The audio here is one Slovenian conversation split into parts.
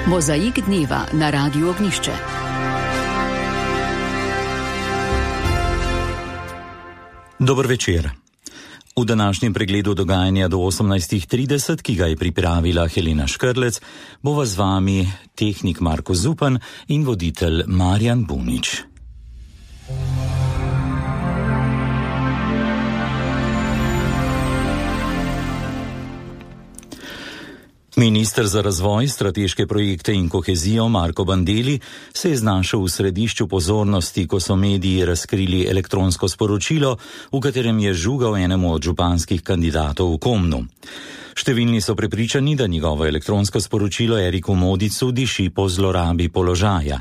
Mozaik dneva na Radiu Ognjišče. Dober večer. V današnjem pregledu dogajanja do 18:30, ki ga je pripravila Helena Škrlec, bova z vami tehnik Marko Zupan in voditelj Marjan Bunič. Minister za razvoj, strateške projekte in kohezijo Marko Bandelli se je znašel v središču pozornosti, ko so mediji razkrili elektronsko sporočilo, v katerem je žugal enemu od županskih kandidatov v Komnu. Številni so prepričani, da njegovo elektronsko sporočilo Eriku Modicu diši po zlorabi položaja.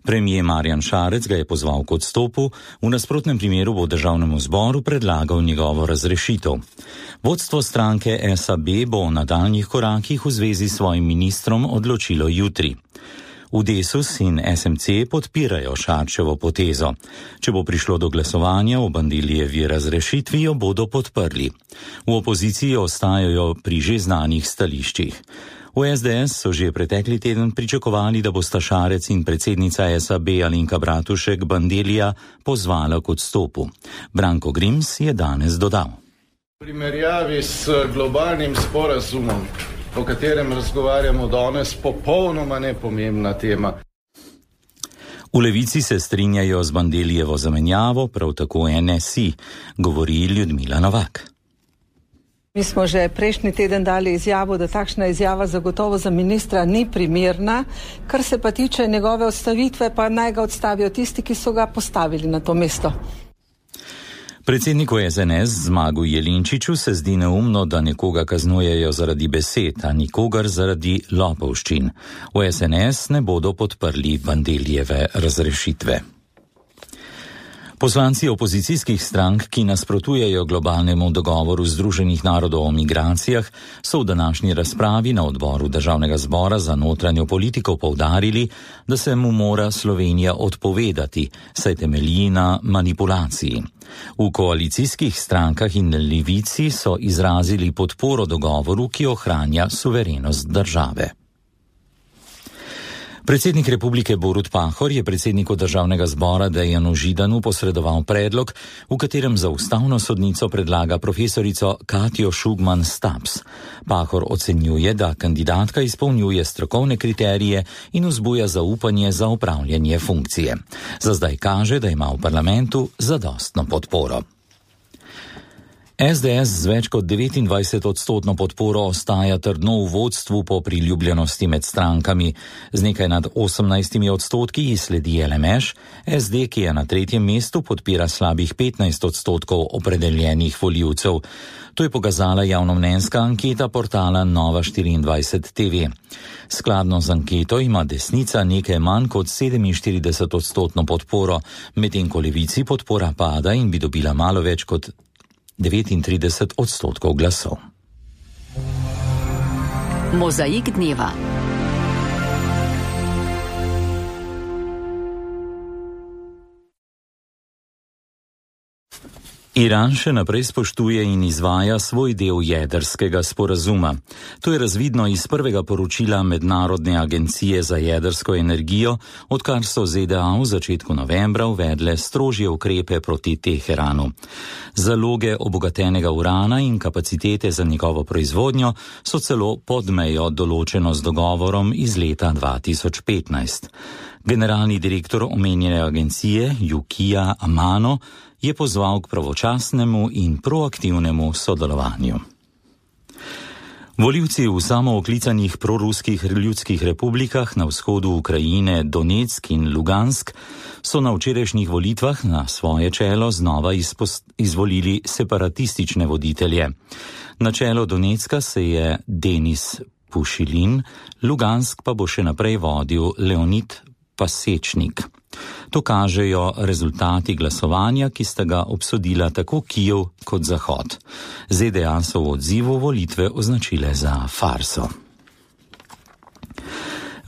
Premijer Marjan Šarec ga je pozval k odstopu, v nasprotnem primeru bo državnemu zboru predlagal njegovo razrešitev. Vodstvo stranke SAB bo o nadaljnjih korakih v zvezi s svojim ministrom odločilo jutri. V Desus in SMC podpirajo Šarčevo potezo. Če bo prišlo do glasovanja o Bandellijevi razrešitvi, jo bodo podprli. V opoziciji ostajajo pri že znanih stališčih. V SDS so že pretekli teden pričakovali, da bosta Šarec in predsednica SAB Alenka Bratušek Bandellija pozvala k odstopu. Branko Grims je danes dodal. V primerjavi s globalnim sporazumom, o katerem razgovarjamo danes, popolnoma nepomembna tema. V Levici se strinjajo z Bandellijevo zamenjavo, prav tako NSI, govori Ljudmila Novak. Mi smo že prejšnji teden dali izjavo, da takšna izjava zagotovo za ministra ni primerna. Kar se pa tiče njegove odstavitve, pa naj ga odstavijo tisti, ki so ga postavili na to mesto. Predsedniku SNS Zmagu Jelinčiču se zdi neumno, da nekoga kaznujejo zaradi besed, a nikogar zaradi lopovščin. V SNS ne bodo podprli Bandellijeve razrešitve. Poslanci opozicijskih strank, ki nasprotujejo globalnemu dogovoru Združenih narodov o migracijah, so v današnji razpravi na odboru Državnega zbora za notranjo politiko poudarili, da se mu mora Slovenija odpovedati, saj temelji na manipulaciji. V koalicijskih strankah in Levici so izrazili podporo dogovoru, ki ohranja suverenost države. Predsednik republike Borut Pahor je predsedniku Državnega zbora Dejanu Židanu posredoval predlog, v katerem za ustavno sodnico predlaga profesorico Katjo Šugman Staps. Pahor ocenjuje, da kandidatka izpolnjuje strokovne kriterije in vzbuja zaupanje za opravljanje funkcije. Za zdaj kaže, da ima v parlamentu zadostno podporo. SDS z več kot 29% podporo ostaja trdno v vodstvu po priljubljenosti med strankami. Z nekaj nad 18% sledi LMŠ, SD, ki je na 3. mestu, podpira slabih 15% opredeljenih volivcev. To je pokazala javnomnenjska anketa portala Nova24 TV. Skladno z anketo ima desnica nekaj manj kot 47% podporo, medtem ko Levici podpora pada in bi dobila malo več kot 39% glasov. Mozaik dneva. Iran še naprej spoštuje in izvaja svoj del jedrskega sporazuma. To je razvidno iz prvega poročila Mednarodne agencije za jedrsko energijo, odkar so ZDA v začetku novembra uvedle strožje ukrepe proti Teheranu. Zaloge obogatenega urana in kapacitete za njegovo proizvodnjo so celo pod mejo določeno z dogovorom iz leta 2015. Generalni direktor omenjene agencije, Yukija Amano, je pozval k pravočasnemu in proaktivnemu sodelovanju. Volivci v samooklicanih proruskih ljudskih republikah na vzhodu Ukrajine, Donetsk in Lugansk, so na včerajšnjih volitvah na svoje čelo znova izvolili separatistične voditelje. Na čelo Donetska se je Denis Pušilin, Lugansk pa bo še naprej vodil Leonid Pasečnik. To kažejo rezultati glasovanja, ki sta ga obsodila tako Kijev kot Zahod. ZDA so v odzivu volitve označile za farso.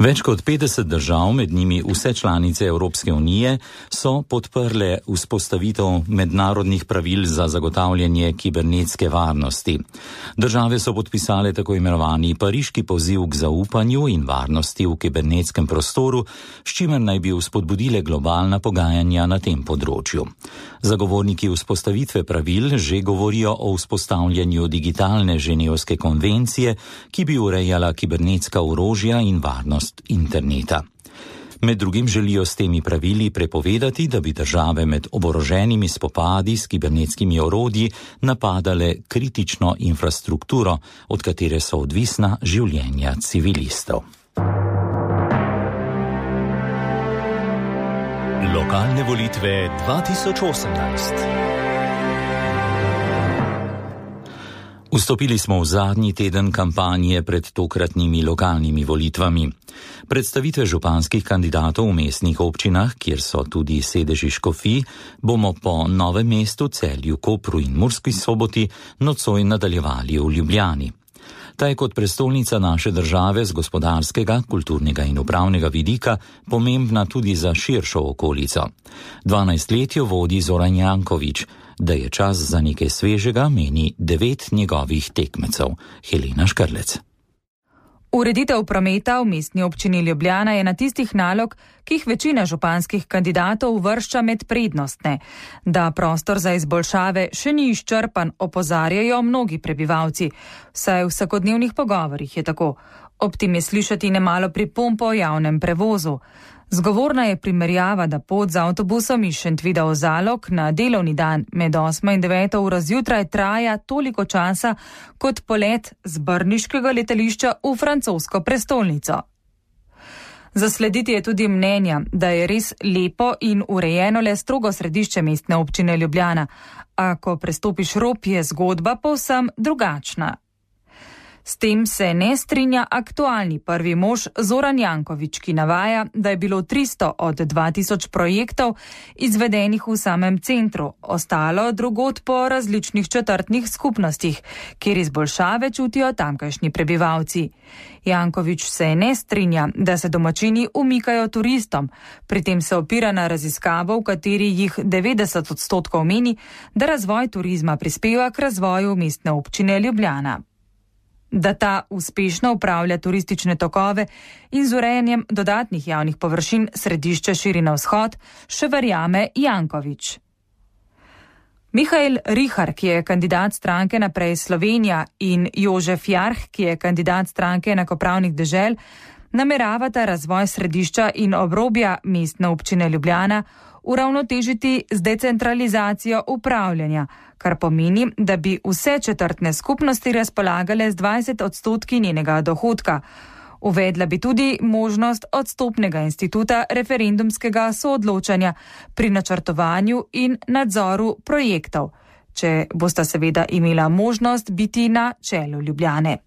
Več kot 50 držav, med njimi vse članice Evropske unije, so podprle vzpostavitev mednarodnih pravil za zagotavljanje kibernetske varnosti. Države so podpisale tako imenovani Pariški poziv k zaupanju in varnosti v kibernetskem prostoru, s čimer naj bi vzpodbudile globalna pogajanja na tem področju. Zagovorniki vzpostavitve pravil že govorijo o vzpostavljanju digitalne ženevske konvencije, ki bi urejala kibernetska orožja in varnost interneta. Med drugim želijo s temi pravili prepovedati, da bi države med oboroženimi spopadi s kibernetskimi orodji napadale kritično infrastrukturo, od katere so odvisna življenja civilistov. Lokalne volitve 2018. Vstopili smo v zadnji teden kampanje pred tokratnimi lokalnimi volitvami. Predstavitve županskih kandidatov v mestnih občinah, kjer so tudi sedeži škofij, bomo po Novem mestu, Celju, Kopru in Murski Soboti nocoj nadaljevali v Ljubljani. Ta je kot prestolnica naše države z gospodarskega, kulturnega in upravnega vidika pomembna tudi za širšo okolico. 12 let jo vodi Zoran Janković. Da je čas za nekaj svežega, meni 9 njegovih tekmecev. Helena Škrlec. Ureditev prometa v mestni občini Ljubljana je na tistih nalog, ki jih večina županskih kandidatov uvršča med prednostne. Da prostor za izboljšave še ni izčrpan, opozarjajo mnogi prebivalci. Vsaj v vsakodnevnih pogovorih je tako. Ob tem je slišati nemalo pripomb o javnem prevozu. Zgovorna je primerjava, da pot z avtobusom iz Šentvida v Zalog na delovni dan med 8 in 9 uro zjutraj traja toliko časa kot polet z brniškega letališča v francosko prestolnico. Zaslediti je tudi mnenja, da je res lepo in urejeno le strogo središče mestne občine Ljubljana, a ko prestopiš rob, je zgodba povsem drugačna. S tem se ne strinja aktualni prvi mož Zoran Janković, ki navaja, da je bilo 300 od 2000 projektov izvedenih v samem centru, ostalo drugod po različnih četrtnih skupnostih, kjer izboljšave čutijo tamkajšnji prebivalci. Janković se ne strinja, da se domačini umikajo turistom, pri tem se opira na raziskavo, v kateri jih 90% meni, da razvoj turizma prispeva k razvoju mestne občine Ljubljana. Da ta uspešno upravlja turistične tokove in z urejanjem dodatnih javnih površin središče širi na vzhod, še verjame Janković. Mihael Rihar, ki je kandidat stranke Naprej Slovenija, in Jožef Jarh, ki je kandidat stranke Enakopravnih dežel, nameravata razvoj središča in obrobja mestne občine Ljubljana uravnotežiti z decentralizacijo upravljanja, kar pomeni, da bi vse četrtne skupnosti razpolagale z 20% njenega dohodka. Uvedla bi tudi možnost odstopnega instituta referendumskega soodločanja pri načrtovanju in nadzoru projektov, če bosta seveda imela možnost biti na čelu Ljubljane.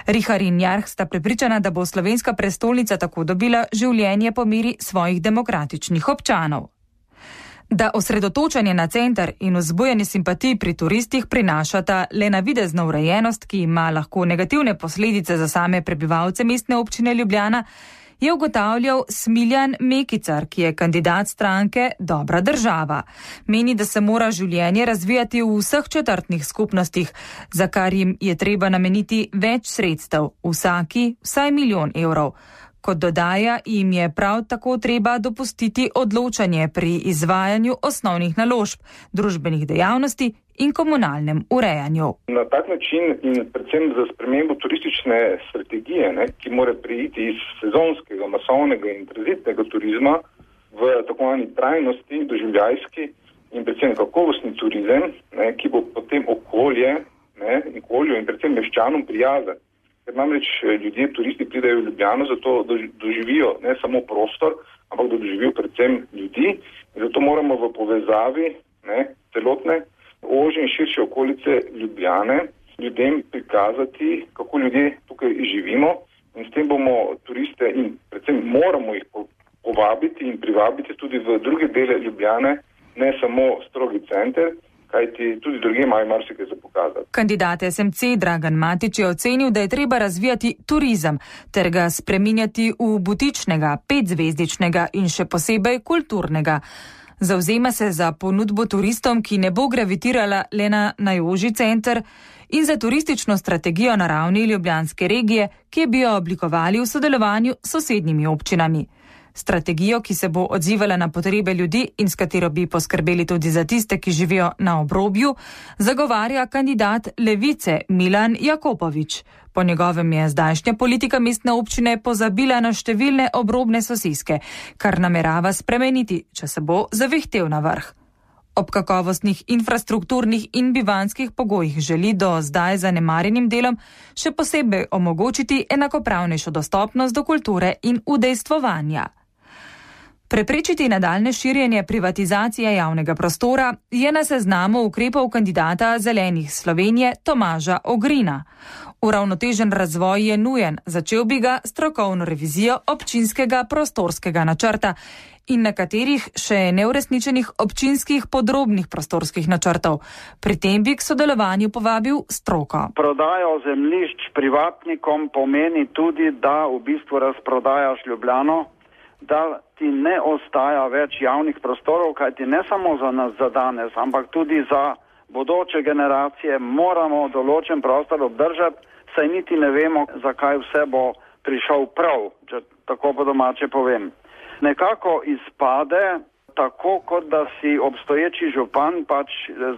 Rihar in Jarh sta prepričana, da bo slovenska prestolnica tako dobila življenje po meri svojih demokratičnih občanov. Da osredotočanje na center in vzbujanje simpatij pri turistih prinašata le navidezno urejenost, ki ima lahko negativne posledice za same prebivalce mestne občine Ljubljana, je ugotavljal Smiljan Mekicar, ki je kandidat stranke Dobra država. Meni, da se mora življenje razvijati v vseh četrtnih skupnostih, za kar jim je treba nameniti več sredstev, vsaki vsaj 1 milijon evrov. Kot dodaja, jim je prav tako treba dopustiti odločanje pri izvajanju osnovnih naložb, družbenih dejavnosti in komunalnem urejanju. Na tak način in predvsem za spremembo turistične strategije, ki mora preiti iz sezonskega, masovnega in tranzitnega turizma v tako imenovani trajnosti, doživljajski in predvsem kakovostni turizem, ki bo potem okolju in predvsem meščanom prijazen. Ker namreč ljudje, turisti pridejo v Ljubljano, zato da doživijo ne samo prostor, ampak da doživijo predvsem ljudi. In zato moramo v povezavi celotne ožje in širše okolice Ljubljane ljudem prikazati, kako ljudje tukaj živimo. In s tem bomo turiste in predvsem moramo jih povabiti in privabiti tudi v druge dele Ljubljane, ne samo strogi center, kajti tudi drugje imajo marsikaj za pokazati. Kandidat SMC Dragan Matić je ocenil, da je treba razvijati turizem ter ga spreminjati v butičnega, 5-zvezdičnega in še posebej kulturnega. Zavzema se za ponudbo turistom, ki ne bo gravitirala le na najožji center, in za turistično strategijo na ravni ljubljanske regije, ki bi jo oblikovali v sodelovanju s sosednjimi občinami. Strategijo, ki se bo odzivala na potrebe ljudi in s katero bi poskrbeli tudi za tiste, ki živijo na obrobju, zagovarja kandidat Levice Milan Jakopovič. Po njegovem je zdajšnja politika mestne občine pozabila na številne obrobne soseske, kar namerava spremeniti, če se bo zavihtel na vrh. Ob kakovostnih infrastrukturnih in bivanjskih pogojih želi do zdaj zanemarjenim delom še posebej omogočiti enakopravnejšo dostopnost do kulture in udejstvovanja. Preprečiti nadaljne širjenje privatizacije javnega prostora je na seznamu ukrepov kandidata Zelenih Slovenije Tomaža Ogrina. Uravnotežen razvoj je nujen, začel bi ga strokovno revizijo občinskega prostorskega načrta in nekaterih še neuresničenih občinskih podrobnih prostorskih načrtov. Pri tem bi k sodelovanju povabil stroko. Prodajo zemljišč privatnikom pomeni tudi, da v bistvu razprodajaš Ljubljano, da ti ne ostaja več javnih prostorov, kajti ne samo za nas za danes, ampak tudi za bodoče generacije moramo določen prostor obdržati, saj niti ne vemo, zakaj vse bo prišel prav, če tako po domače povem. Nekako izpade tako, kot da si obstoječi župan pač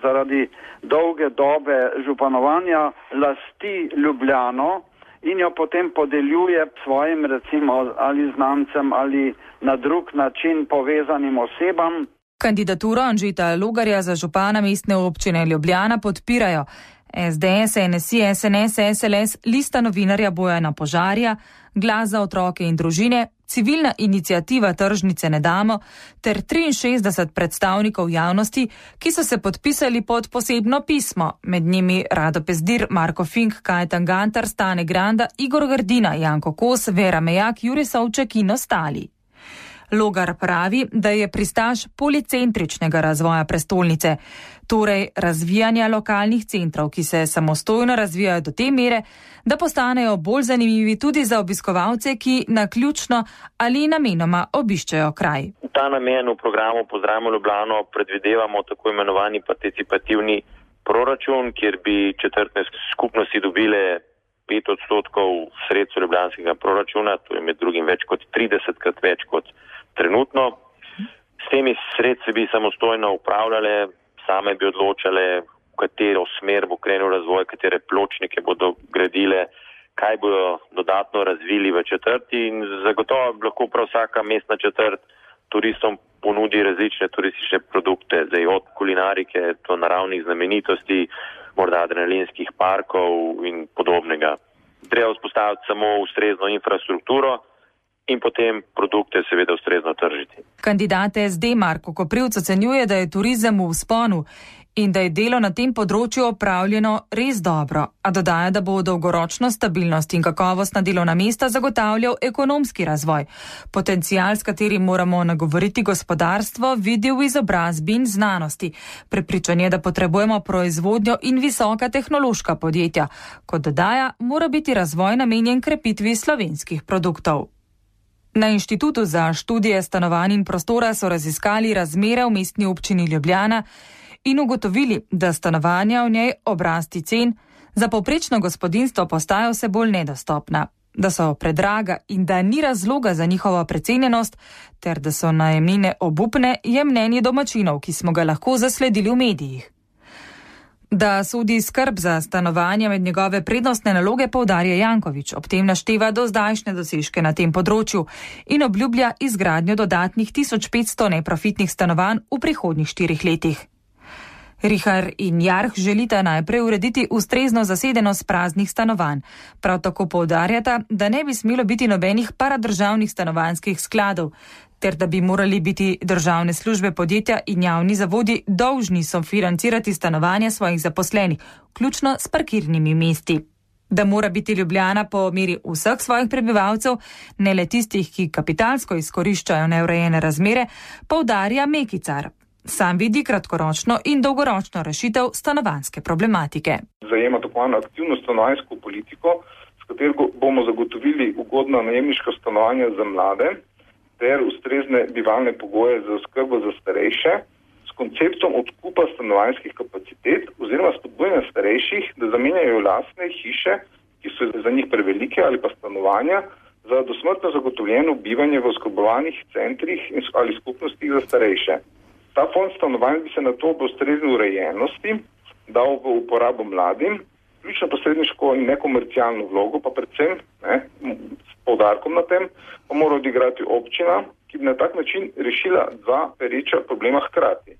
zaradi dolge dobe županovanja lasti Ljubljano in jo potem podeljuje svojim recimo ali znancem ali na drug način povezanim osebam. Kandidaturo Anžeta Logarja za župana mestne občine Ljubljana podpirajo SDS, NSI, SNS, SLS, Lista novinarja Bojana Požarja, Glas za otroke in družine, Civilna iniciativa Tržnice ne damo ter 63 predstavnikov javnosti, ki so se podpisali pod posebno pismo, med njimi Rado Pezdir, Marko Fink, Kajetan Gantar, Stane Granda, Igor Grdina, Janko Kos, Vera Mejak, Jure Savček in ostali. Logar pravi, da je pristaš policentričnega razvoja prestolnice, torej razvijanja lokalnih centrov, ki se samostojno razvijajo do te mere, da postanejo bolj zanimivi tudi za obiskovalce, ki naključno ali namenoma obiščejo kraj. V ta namen v programu Pozdravimo Ljubljano predvidevamo tako imenovani participativni proračun, kjer bi četrtne skupnosti dobile 5% sredstev ljubljanskega proračuna, to je med drugim več kot 30krat več kot trenutno. S temi sredstvi bi samostojno upravljale, same bi odločale, v katero smer bo krenil razvoj, katere pločnike bodo gradile, kaj bodo dodatno razvili v četrti in zagotovo lahko prav vsaka mestna četrt turistom ponudi različne turistične produkte, zdaj od kulinarike do naravnih znamenitosti, morda adrenalinskih parkov in podobnega. Treba vzpostaviti samo ustrezno infrastrukturo in potem produkte seveda ustrezno tržiti. Kandidat SD Marko Koprivc ocenjuje, da je turizem v vzponu in da je delo na tem področju opravljeno res dobro, a dodaja, da bo dolgoročno stabilnost in kakovostna delovna mesta zagotavljal ekonomski razvoj. Potencial, s katerim moramo nagovoriti gospodarstvo, vidi v izobrazbi in znanosti. Prepričan je, da potrebujemo proizvodnjo in visoka tehnološka podjetja. Kot dodaja, mora biti razvoj namenjen krepitvi slovenskih produktov. Na Inštitutu za študije stanovanj in prostora so raziskali razmere v mestni občini Ljubljana in ugotovili, da stanovanja v njej ob rasti cen za povprečno gospodinjstvo postajajo vse bolj nedostopna, da so predraga in da ni razloga za njihovo precenjenost, ter da so najemnine obupne, je mnenje domačinov, ki smo ga lahko zasledili v medijih. Da sodi skrb za stanovanja med njegove prednostne naloge, poudarja Janković, ob tem našteva dozdajšnje dosežke na tem področju in obljublja izgradnjo dodatnih 1500 neprofitnih stanovanj v prihodnjih 4 letih. Rihar in Jarh želita najprej urediti ustrezno zasedenost praznih stanovanj. Prav tako poudarjata, da ne bi smelo biti nobenih paradržavnih stanovanjskih skladov, ter da bi morali biti državne službe, podjetja in javni zavodi dolžni sofinancirati stanovanja svojih zaposlenih, vključno s parkirnimi mesti. Da mora biti Ljubljana po meri vseh svojih prebivalcev, ne le tistih, ki kapitalsko izkoriščajo neurejene razmere, poudarja Mekicar. Sam vidi kratkoročno in dolgoročno rešitev stanovanjske problematike. Zajema tako aktivno stanovanjsko politiko, s katero bomo zagotovili ugodna najemniška stanovanja za mlade ter ustrezne bivalne pogoje za oskrbo za starejše, s konceptom odkupa stanovanjskih kapacitet oziroma spodbujanja starejših, da zamenjajo lastne hiše, ki so za njih prevelike, ali pa stanovanja za dosmrtno zagotovljeno bivanje v oskrbovanih centrih ali skupnostih za starejše. Ta fond stanovanj bi se na to ob ustrezni urejenosti dal v uporabo mladim, ključno posredniško in nekomercialno vlogo, pa predvsem s poudarkom na tem, pa mora odigrati občina, ki bi na tak način rešila dva pereča problema hkrati.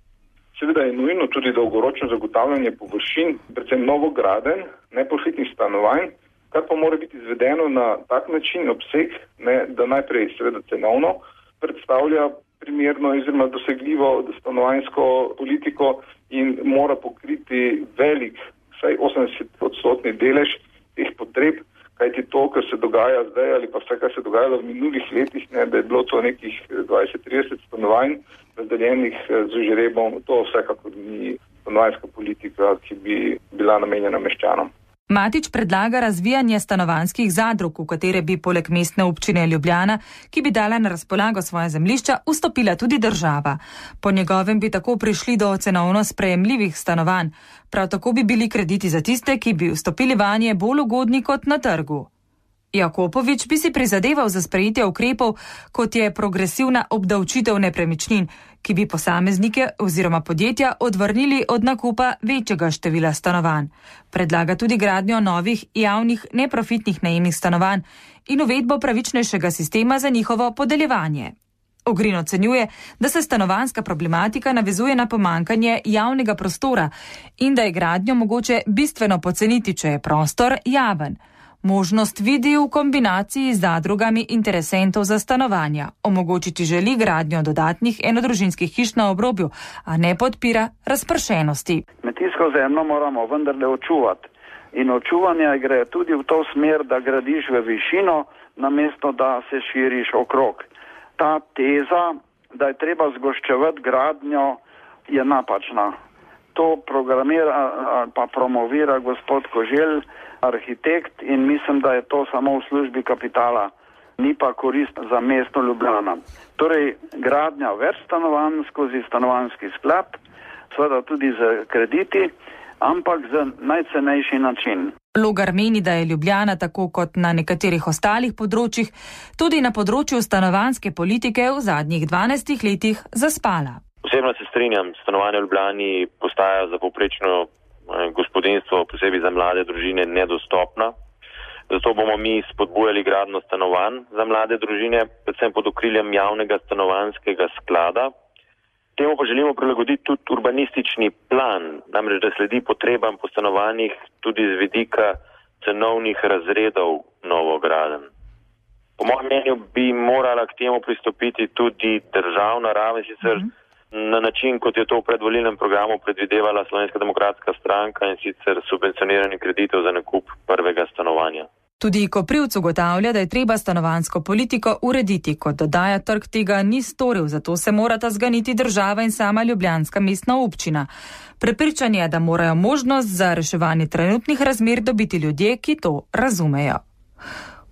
Seveda je nujno tudi dolgoročno zagotavljanje površin, predvsem novogradenj, neprofitnih stanovanj, kar pa mora biti izvedeno na tak način obseg, da najprej seveda cenovno predstavlja primerno oziroma dosegljivo stanovanjsko politiko in mora pokriti velik, vsaj 80% delež teh potreb, kajti to, kar se dogaja zdaj ali pa vse, kar se dogajalo v minulih letih, da je bilo to nekih 20-30 stanovanj razdeljenih z žrebom, to vsekakor ni stanovanjska politika, ki bi bila namenjena meščanom. Matić predlaga razvijanje stanovanjskih zadrug, v katere bi poleg mestne občine Ljubljana, ki bi dala na razpolago svoje zemljišča, vstopila tudi država. Po njegovem bi tako prišli do cenovno sprejemljivih stanovanj. Prav tako bi bili krediti za tiste, ki bi vstopili vanje bolj ugodni kot na trgu. Jakopovič bi si prizadeval za sprejetje ukrepov, kot je progresivna obdavčitev nepremičnin, ki bi posameznike oziroma podjetja odvrnili od nakupa večjega števila stanovanj. Predlaga tudi gradnjo novih javnih neprofitnih najemnih stanovanj in uvedbo pravičnejšega sistema za njihovo podeljevanje. Ogrin ocenjuje, da se stanovanjska problematika navezuje na pomankanje javnega prostora in da je gradnjo mogoče bistveno poceniti, če je prostor javen. Možnost vidi v kombinaciji z zadrugami interesentov za stanovanja. Omogočiti želi gradnjo dodatnih enodružinskih hiš na obrobju, a ne podpira razpršenosti. Kmetijsko zemljo moramo vendarle očuvati. In očuvanje gre tudi v to smer, da gradiš v višino, namesto da se širiš okrog. Ta teza, da je treba zgoščevati gradnjo, je napačna. To programira ali pa promovira gospod Koželj, arhitekt, in mislim, da je to samo v službi kapitala, ni pa korist za mesto Ljubljana. Torej, gradnja več stanovanj skozi stanovanjski sklad, seveda tudi z krediti, ampak za najcenejši način. Logar meni, da je Ljubljana tako kot na nekaterih ostalih področjih, tudi na področju stanovanjske politike v zadnjih 12 letih zaspala. Osebno se strinjam, stanovanje v Ljubljani postaja za povprečno gospodinstvo, posebej za mlade družine, nedostopna. Zato bomo mi spodbujali gradnjo stanovanj za mlade družine, predvsem pod okriljem javnega stanovanjskega sklada. Temu pa želimo prilagoditi tudi urbanistični plan, namreč da sledi potrebam po stanovanjih tudi z vidika cenovnih razredov novogradenj. Po mojem mnenju bi morala k temu pristopiti tudi državna raven, sicer na način, kot je to v predvolilnem programu predvidevala Slovenska demokratska stranka, in sicer subvencioniranje kreditov za nakup prvega stanovanja. Tudi Koprivc ugotavlja, da je treba stanovanjsko politiko urediti, kot dodaja, trg tega ni storil, zato se morata zganiti država in sama ljubljanska mestna občina. Prepričan je, da morajo možnost za reševanje trenutnih razmer dobiti ljudje, ki to razumejo.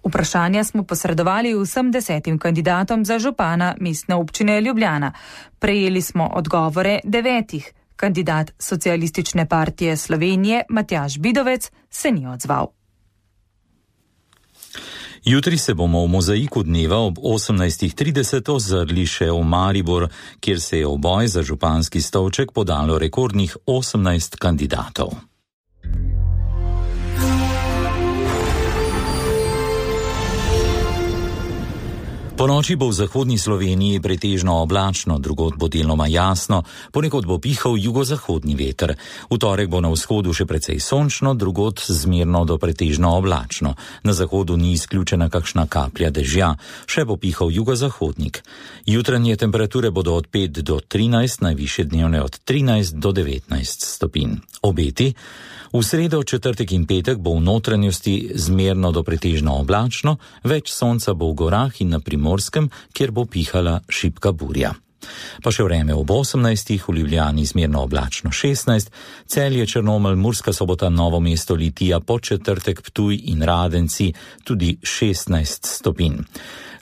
Vprašanja smo posredovali vsem 10 kandidatom za župana mestne občine Ljubljana. Prejeli smo odgovore 9. Kandidat Socialistične partije Slovenije Matjaž Bidovec se ni odzval. Jutri se bomo v mozaiku dneva ob 18.30 ozrli še v Maribor, kjer se je v boj za županski stolček podalo rekordnih 18 kandidatov. Po noči bo v zahodni Sloveniji pretežno oblačno, drugod bo deloma jasno, ponekod bo pihal jugozahodni veter. V torek bo na vzhodu še precej sončno, drugod zmerno do pretežno oblačno. Na zahodu ni izključena kakšna kaplja dežja, še bo pihal jugozahodnik. Jutranje temperature bodo od 5 do 13, najvišje dnevne od 13 do 19 stopinj. Obeti. V sredo, četrtek in petek bo v notranjosti zmerno do pretežno oblačno, več sonca bo v gorah in na Primorskem, kjer bo pihala šibka burja. Pa še vreme ob 18, v Ljubljani zmerno oblačno 16, Celje, Črnomelj, Murska Sobota, Novo mesto, Litija, Podčetrtek, Ptuj in Radenci tudi 16 stopinj.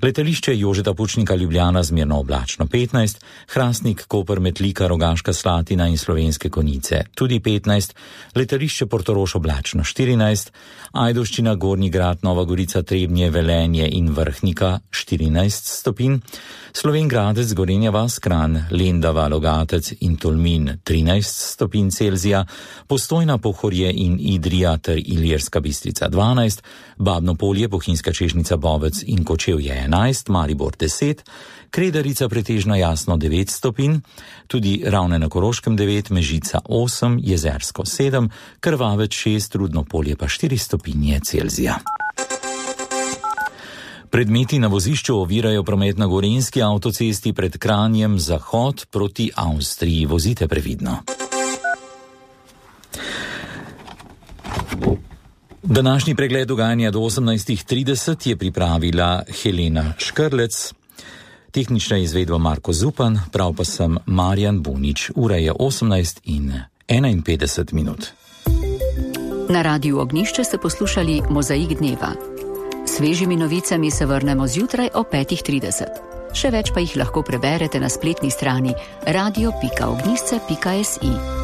Letališče Jožeta Pučnika Ljubljana zmerno oblačno 15, Hrastnik, Koper, Metlika, Rogaška Slatina in Slovenske Konjice tudi 15, letališče Portorož oblačno 14, Ajdovščina, Gornji Grad, Nova Gorica, Trebnje, Velenje in Vrhnika 14 stopinj, Slovenj Gradec, Gorenja vas, Kranj, Lendava, Logatec in Tolmin 13 stopinj Celzija, Postojna, Pohorje in Idrija ter Ilirska Bistrica 12, Babno Polje, Bohinjska Čežnica, Bovec in Kočevje 11, Maribor 10, Kredarica pretežno jasno 9 stopinj, tudi Ravne na Koroškem 9, Mežica 8, Jezersko 7, Krvavec 6, Rudno Polje pa 4 stopinje Celzija. Predmeti na vozišču ovirajo promet na Gorenjski avtocesti pred Kranjem zahod proti Avstriji. Vozite previdno. Današnji pregled dogajanja do 18:30 je pripravila Helena Škrlec, tehnična izvedba Marko Zupan, prav pa sem Marjan Bunič. Ura je 18:51. Na Radiu Ognjišče ste poslušali Mozaik dneva. Svežimi novicami se vrnemo zjutraj o 5:30. Še več pa jih lahko preberete na spletni strani radio.ognjišče.si.